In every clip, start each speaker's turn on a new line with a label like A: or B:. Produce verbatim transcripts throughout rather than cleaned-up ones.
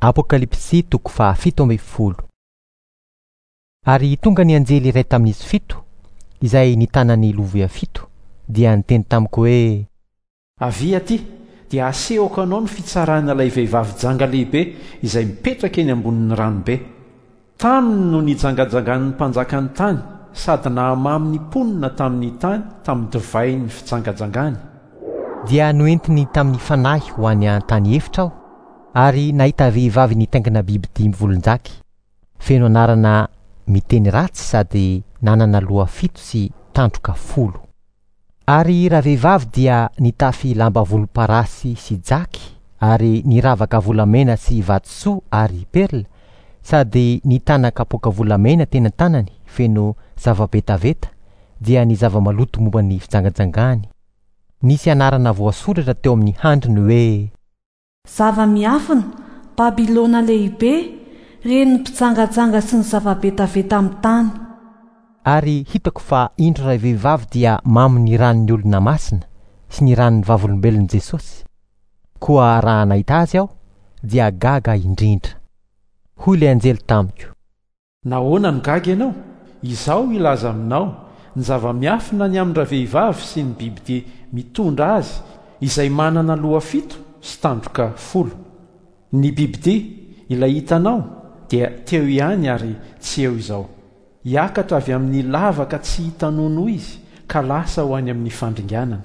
A: Apokalypsy toko fahafito ambin'ny folo. Ary tonga ny anjely iray tamin'izy fito, izay nitana ny lovia fito, dia niteny tamiko hoe:
B: Avia aty, dia asehoko anao ny fitsarana ilay vehivavy janga lehibe izay mipetraka eny ambonin'ny ranobe. Taminy no nijangajangan'ny mpanjakan'ny tany sady nahamamy ny mponina tamin'ny tany tamin'ny divain'ny fijangajangany.
A: Dia noentiny tamin'ny fanahy ho any an-tany efitra aho, ary nahita vehivavy nitaingina biby dimy volon-jaky, feno anarana miteny ratsy sady nanana loha fito sy tandroka folo. Ary ravehivavy dia nitafy lamba volomparasy sy jaky ary niravaka volamena sy vatosoa ary perla, sady nitana kapoaka volamena teny an-tanany feno zava-betaveta, dia ny zava-maloto momba ny fijangajangany. Nisy anarana voasoratra teo amin'ny handriny hoe:
C: Zava-miafina, Babylona lehibe, renin'ny mpijangajanga sy ny zava-betaveta amin'ny tany.
A: Ary hitako fa indro ray vehivavy dia mamo ny ran'ny olona masina sy ny ran'ny vavolombelon'i Jesosy. Koa raha nahita azy aho dia gaga indrindra. Hoy ilay anjely tamiko:
B: Nahoana no gaga ianao? Izaho hilaza aminao ny zava-miafina ny amin-dravehivavy sy ny bibidia mitondra azy izay manana loha fito sy tandroka folo. Ny bibidia ilay hitanao dia teo ihany ary tsy eo izao. Hiakatra avy amin'ny lavaka tsy hita nono izy ka lasa ho any amin'ny fandringanana.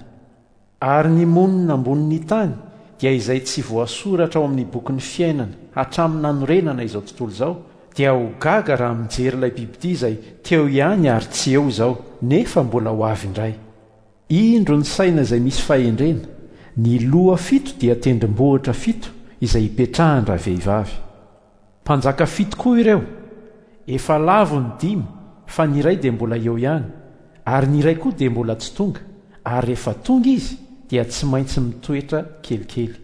B: Ary ny monina ambonin'ny tany dia izay tsy voasoratra ao amin'ny bokin'ny fiainana hatramin'ny nanorenana izao tontolo izao, dia ho gaga raha mijery ilay bibidia izay teo ihany ary tsy eo izao, nefa mbola ho avy indray. Indro ny saina izay misy fahendrena, ny loha fito dia tendrombohitra fito izay ipetrahan-dravehivavy. Mpanjaka fito koa ireo. Efa lavo ny dimy, fa ny iray dia mbola eo ihany, ary ny iray koa dia mbola tsy tonga, ary rehefa tonga izy dia tsy maintsy mitoetra kelikely.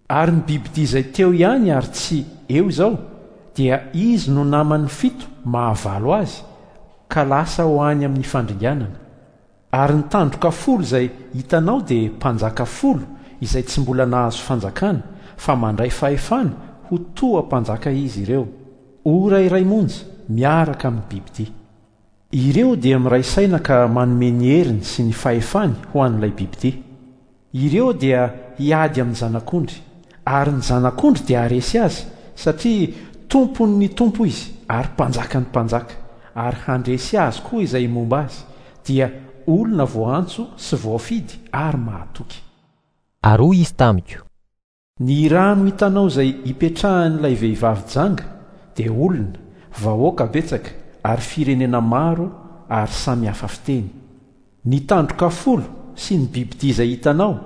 B: Ary ny bibidia izay teo ihany ary tsy eo izao, dia izy no naman'ny fito mahavalo azy, ka lasa ho any amin'ny fandringanana. Ary ny tandroka folo izay hitanao dia mpanjaka folo izay tsy mbola nahazo fanjakana, fa mandray fahefana ho toa mpanjaka izy ireo. Ora iray monja miaraka amin'ny bibidia. Ireo dia miray saina ka manome ny heriny sy ny fahefany ho an'ilay bibidia. Ireo dia hiady amin'ny zanak'ondry, ary ny zanak'ondry dia haharesy azy, satria tompon'ny tompo izy ary mpanjakan'ny mpanjaka, ary handresy azy koa izay momba azy, dia olona voaantso sy voafidy ary mahatoky.
A: Ary hoy izy tamiko:
B: Ny rano hitanao izay ipetrahan'ilay vehivavy janga dia olona, vahoaka betsaka ary firenena maro ary samy hafa fiteny. Ny tandroka folo sy ny bibidia izay hitanao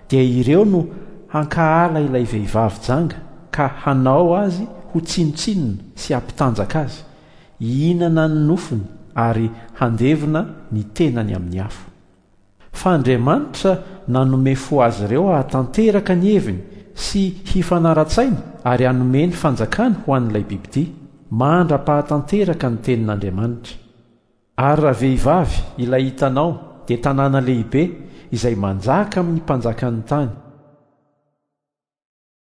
B: dia ireo no hankahala ilay vehivavy janga ka hanao azy ho tsinontsinona sy hampitanjaka azy, hihinana ny nofony ary handevona ny tenany amin'ny afo. Fa Andriamanitra nanome fo azy ireo hahatanteraka ny heviny sy hifanara-tsaina ary hanome ny fanjakany ho an'ilay bibidia, mandra-pahatanteraka ny tenin'Andriamanitra. Ary ravehivavy ilay hitanao dia tanàna lehibe izay manjaka amin'ny mpanjakan'ny tany.